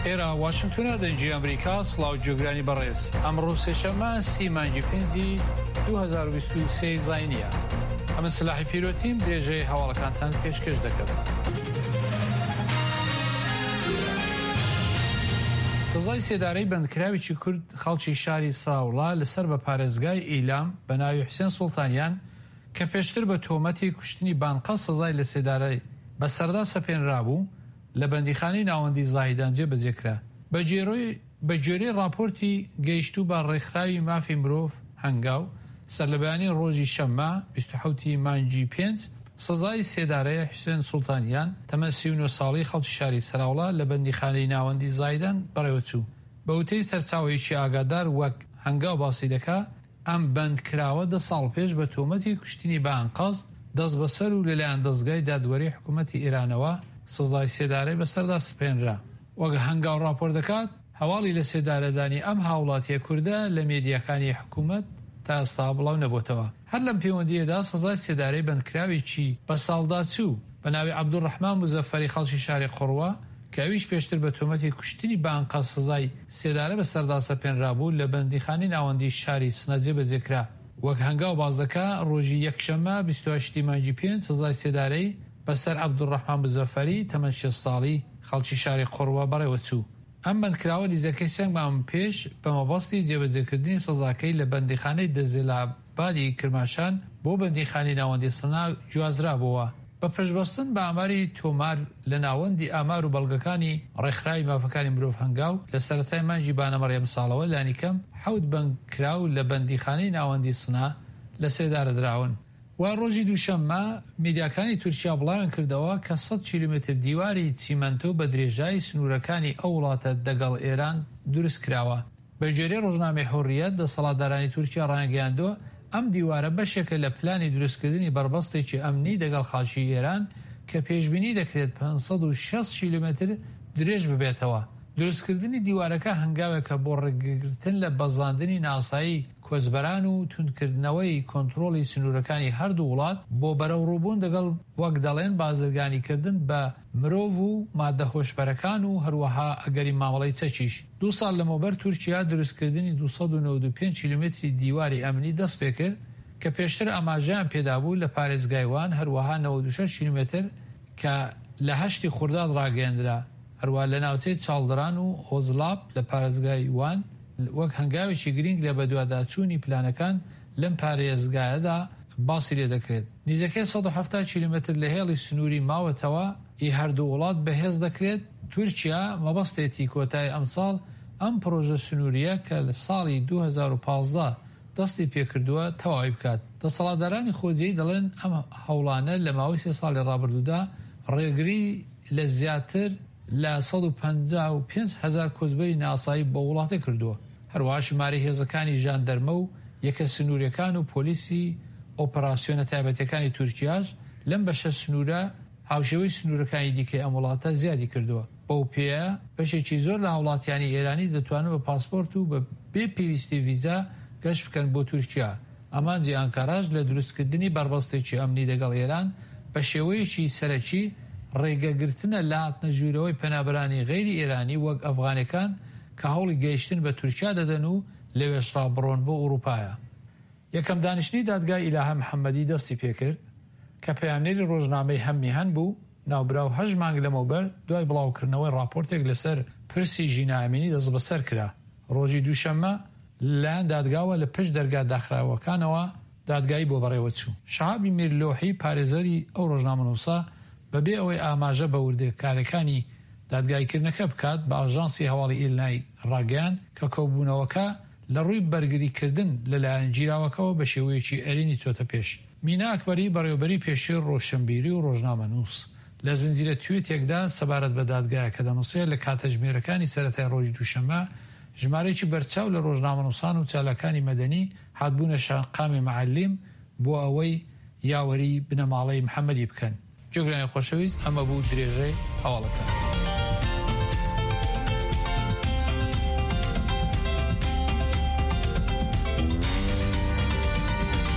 ئێرە واشنتۆنە دەنگی ئەمریکا سڵاو گوێگرانی بەڕێز ئەمڕۆ سێشەممە سی مانگی پێنجی 2023 زاینیە ئەمن سلاحی پیرۆتیم درێژەی هەواڵەکانتان پێشکەش دەکەم. سزای سێدارەی بەندکراوێکی کورد خەڵکی شاری ساوڵا لەسەر بە پارێزگای ئیلام بە ناوی حوسێن سوڵتانیان کە پێشتر بە تۆمەتی کوشتنی بانقە سزای لەسێدارەی بەسەردا سەپێنرابوو، لە بەندیخانەی ناوەندی زاهیدان جێبەجێ کرا. بەگوێرەی ڕاپۆرتی گەیشتوو بە ڕێکخراوی مافی مرۆڤ هەنگاو، سەرلەبەیانی ڕۆژی شەممە 27 ی مانگی پێنج، سزای سێدارەی حوسێن سوڵتانیان، تەمەن 39 ساڵی خەڵکی شاری سەراوڵا لە بەندیخانەی ناوەندی زاهیدان بەڕێوەچوو. بە وتەی سەرچاوەیەکی ئاگادار وەک هەنگاو باسی دەکا، ئەم بەندکراوە دە ساڵ پێش بە تۆمەتی کوشتنی بە ئەنقەست دەستبەسەر و لەلایەن دەزگای دادوەری حکوومەتی ئێرانەوە سزای سێدارەی بەسەردا سپێنرا. وەک هەنگاو ڕاپۆرت دەکات، هەواڵی لەسێدارەدانی ئەم هاوڵاتییە کوردە لە مێدیاکانی حکوومەت تا ئێستا بڵاو نەبۆتەوە. هەر لەم پێوەندییەدا سزای سێدارەی بەندکراوێکی بەساڵداچوو بە ناوی عەبدولڕەحمان موزەفەری خەڵکی شاری قوڕوە کە ئەویش پێشتر بە تۆمەتی کوشتنی بە ئەنقەست سزای سێدارە بەسەردا سەپێنرابوو، لە بەندیخانەی ناوەندیی شاری سنە جێبەجێ کرا. وەک هەنگاو باس دەکا، ڕۆژی یەکشەممە 28 ی مانگی پێنج سزای سێدارەی بەسەر عەبدولڕەحمان مزەفەری تەمەن 60 ساڵی خەڵکی شاری قوڕوە بەڕێوە چوو. ئەم بەندکراوە نزیکەی سێ مانگ پێش بە مەبەستی جێبەجێکردنی سزاکەی لە بەندیخانەی دەزێلابادی کرماشان بۆ بەندیخانەی ناوەندی سنە گوازرابۆوە. بە پشتبەستن بە ئاماری تۆمار لە ناوەندی ئامار و بەڵگەکانی ڕێکخراوی مافەکانی مرۆڤ هەنگاو، لە سەرەتای مانگی بانەمەڕی ئەمساڵەوە لانیکەم حەوت بەندکراو لە بەندیخانەی ناوەندی سنە لەسێدارە دراون. و ڕۆژی دووشەممە میدیاکانی تورکیا بڵاویان کردەوە کە سەد کیلۆمەتر دیواری چیمەنتۆ بە درێژایی سنوورەکانی ئەو وڵاتە دەگەڵ ئێران دروست کراوە. بە گوێرەی ڕۆژنامەی حوڕیەت، دەسەڵاتدارانی تورکیا ڕایانگەیاندووە، ئەم دیوارە بەشێکە لە پلانی دروستکردنی بەربەستێکی ئەمنی دەگەڵ خاکی ئێران کە پێشبینی دەکرێت 560 کیلۆمەتر درێژ ببێتەوە. دروستکردنی دیوارەکە هەنگاوێکە بۆ ڕێگەگرتن لە بەزاندنی ناسایی کۆچبەران و توندکردنەوەی کۆنترۆڵی سنوورەکانی هەردوو وڵات بۆ بەرەوڕووبوون دەگەڵ وەک دەڵێن بازرگانیکردن بە مرۆڤ و ماددە هۆشبەرەکان و هەروەها ئەگەری مامەڵەی چەکیش. دوو ساڵ لەمەوبەر تورکیا دروستکردنی 295 کیلۆمەتری دیواری ئەمنی دەستپێکرد کە پێشتر ئاماژەیان پێدابوو لە پارێزگای وان، هەروەها 96 کیلۆمەتر کە لە هەشتی خورداد ڕاگەیەندرا، هەروەها لە ناوچەی چاڵدران و ئۆزلاپ لە پارێزگای وان وەک هەنگاوێکی گرینگ لە بەدواداچوونی پلانەکان لەم پارێزگایەدا باسی لێدەکرێت. نزیکەی 170 کیلۆمەتر لە هێڵی سنووری ماوەتەوە ی هەردوو وڵات بەهێز دەکرێت، تورکیا مەبەستێتی کۆتایی ئەمساڵ ئەم پڕۆژە سنوورییە کە لە ساڵی 2015 دەستی پێکردووە تەواوی بکات. دەسەڵاتدارانی خۆجێی دەڵێن ئەم هەوڵانە لە ماوەی سێ ساڵی ڕابردوودا ڕێگری لە زیاتر لە 155 هەزار کۆچبەری نائاسایی بۆ وڵاتە کردووە. هەروەها ژمارەی هێزەکانی ژاندەرمە و یەکە سنوورییەکان و پۆلیسی ئۆپەراسیۆنە تایبەتییەکانی تورکیاش لەم بەشە سنوورە هاوشێوەی سنوورەکانی دیکەی ئەم وڵاتە زیادی کردووە. بەو پێیە بەشێکی زۆر لە هاوڵاتیانی ئێرانی دەتوانن بە پاسپۆرت و بە بێ پێویستی ڤیزا گەشت بکەن بۆ تورکیا. ئامانجی ئانکاراش لە دروستکردنی بەربەستێکی ئەمنی دەگەڵ ئێران بە شێوەیەکی سەرەکی ڕێگەگرتنە لە هاتنە ژوورەوەی پەنابەرانی غەیری ئێرانی وەک ئەفغانەکان کە هەوڵی گەیشتن بە تورکیا دەدەن و لەوێشڕا بڕۆن بۆ ئوڕووپایە. یەکەم دانیشتنی دادگای ئیلاهە محەممەدی دەستی پێکرد کە پەیامنێری ڕۆژنامەی هەم میهەن بوو، ناوبراو هەشت مانگ لەمەوبەر دوای بڵاوکردنەوەی ڕاپۆرتێک لەسەر پرسی ژینا ئەمینی دەستبەسەر کرا. ڕۆژی دووشەممە لەلایەن دادگاوە لە پشت دەرگا داخراوەکانەوە دادگایی بۆ بەڕێوەچوو. شەهابی میرلۆحی پارێزەری ئەو ڕۆژنامەنووسە بەبێ ئەوەی ئاماژە بە وردەکارییەکانی دادگاییکردنەکە بکات بە ئاژانسی هەواڵی ئیلنای ڕاگەیاند کە کۆبوونەوەکە لە ڕووی بەرگریکردن لە لایەن گیراوەکەوە بە شێوەیەکی ئەرێنی چۆتە پێش. مینا ئەکبەری، بەڕێوەبەری پێشووی ڕۆشنبیری و ڕۆژنامەنووس، لە زنجیرە تویتێکدا سەبارەت بە دادگایەکە دەنووسێت، لە کاتژمێرەکانی سەرەتای ڕۆژی دووشەممە، ژمارەیەکی بەرچاو لە ڕۆژنامەنووسان و چالاکانی مەدەنی هاتبوونە شەقامی مەعەلیم بۆ ئەوەی یاوەریی بنەماڵەی محەمەدی بکەن. گوێگرانی خۆشەویست ئەمە بوو درێژەی هەواڵەکان.